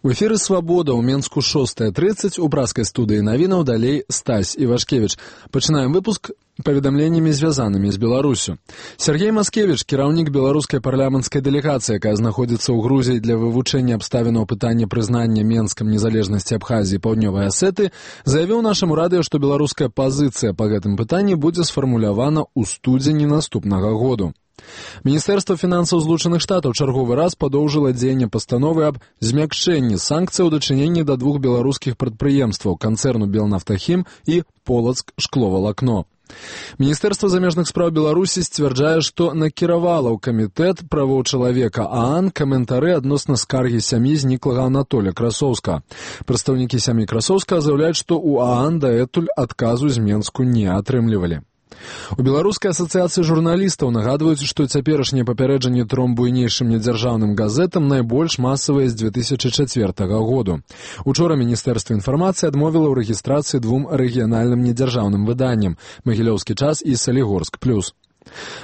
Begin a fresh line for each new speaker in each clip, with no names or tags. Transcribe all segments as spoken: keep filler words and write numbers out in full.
У эфіры «Свабода» ў Менску шостая тридцать, у праскай студыі навінаў далей Стась Івашкевіч. Пачынаем выпуск паведамленнямі, звязанымі з Беларусю. Сергей Маскевіч, кіраўнік беларускай парламенцкай дэлегацыі, якая знаходзіцца ў Грузіі для вывучэння абставінаў пытання прызнання Менскам незалежнасці Абхазіі і Паўднёвай Асеты, заявіў нашаму радыё, што беларуская пазіцыя па гэтым пытанні будзе сфармулявана ў студзені наступнага году. Міністэрства фінансаў Злучаных Штатаў чарговы раз падоўжыла дзеянне пастановы аб змякчэнні санкцый у дачыненні да двух беларускіх прадпрыемстваў, канцэрну «Белнафтахім» і «Полацк шкловалакно». Міністэрства замежных спраў Беларусі сцвярджае, што накіравала ў камітэт правоў чалавека ААН каментары адносна скаргі сям'і зніклага Анатоля Красоўска. Прадстаўнікі сям'і Красоўска заяўляюць, што ў ААН дагэтуль адказу з Менску не атрымлівалі. У Беларускай асацыяцыі журналістаў нагадваюць, што цяперашнія папярэджанні тром буйнейшым недзяржаўным газетам найбольш масавыя з дзве тысячы чацвёртага году. Учора Міністэрства інфармацыі адмовіла ў рэгістрацыі двум рэгіянальным недзяржаўным выданням «Магілёўскі час» і «Салігорск плюс».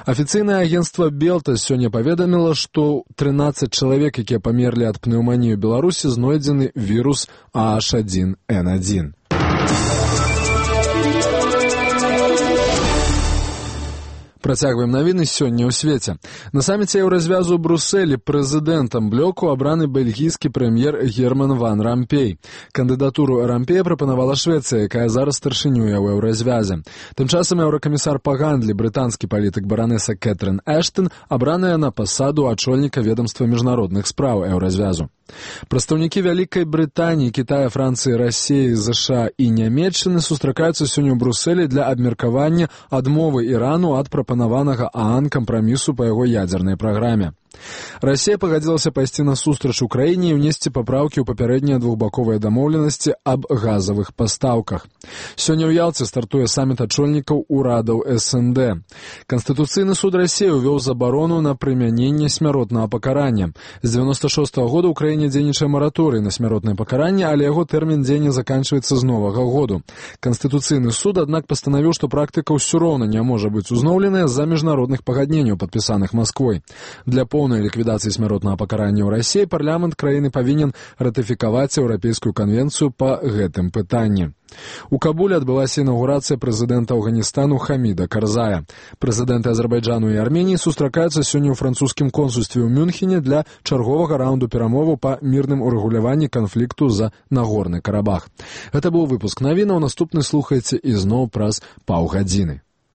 Афіцыйнае агенцтва «Белта» сёння паведаміла, што трынаццаць чалавек, якія памерлі ад пнеўманіі ў Беларусі, знойдзены вірус А Аш адзін Эн адзін. Працягваем навіны сёння ў свеце. На саміце Еўразвязу ў Брусэлі прэзідэнтам блоку абраны бельгійскі прэм'ер Герман ван Рампей. Кандыдатуру Рампея прапанавала Швецыя, якая зараз старшынюе ў Еўразвязе. Тым часам еўракамісар па гандлі, брытанскі палітык баранеса Кэтрын Эштон, абраная на пасаду ачольніка ведамства міжнародных спраў Еўразвязу. Прадстаўнікі Вялікай Брытаніі, Кітая, Францыі, Расіі, ЗША і Нямецчыны сустракаюцца сёння ў Брусэлі для абмеркавання адмовы Ірану ад прапанаванага ААН кампрамісу па яго ядзернай праграме. Расія пагадзілася пайсці на сустрач Украіне і ўнесці папраўкі ў папярэднія двухбаковыя дамоўленасці аб газавых пастаўках. Сёння ў Ялце стартуе саміт ачольнікаў урадаў эс эн дэ. Канстытуцыйны суд Расіі ўвёў забарону на прымяненне смяротнага пакарання. З дзевяноста шостага года ў краіне дзейнічае мараторый на смяротнае пакаранне, але яго тэрмін дзеяння заканчваецца з новага году. Канстытуцыйны суд, аднак, пастанавіў, што практыка ўсё роўна не можа быць узноўленая з-за міжнародных пагадненняў, падпісаных Масквой. Для поўнай ліквідацыі смяротнага пакарання ў Расіі парламент краіны павінен ратыфікаваць еўрапейскую канвенцыю па гэтым пытанні. У Кабуле адбылася інаўгурацыя прэзідэнта Афганістану Хаміда Карзая. Прэзідэнты Азербайджану і Арменіі сустракаюцца сёння ў французскім консульстве ў Мюнхене для чарговага раунду перамоваў па мірным урэгуляванні канфлікту за Нагорны Карабах. Гэта быў выпуск навінаў, наступны слухайце ізноў праз паўгадзіны.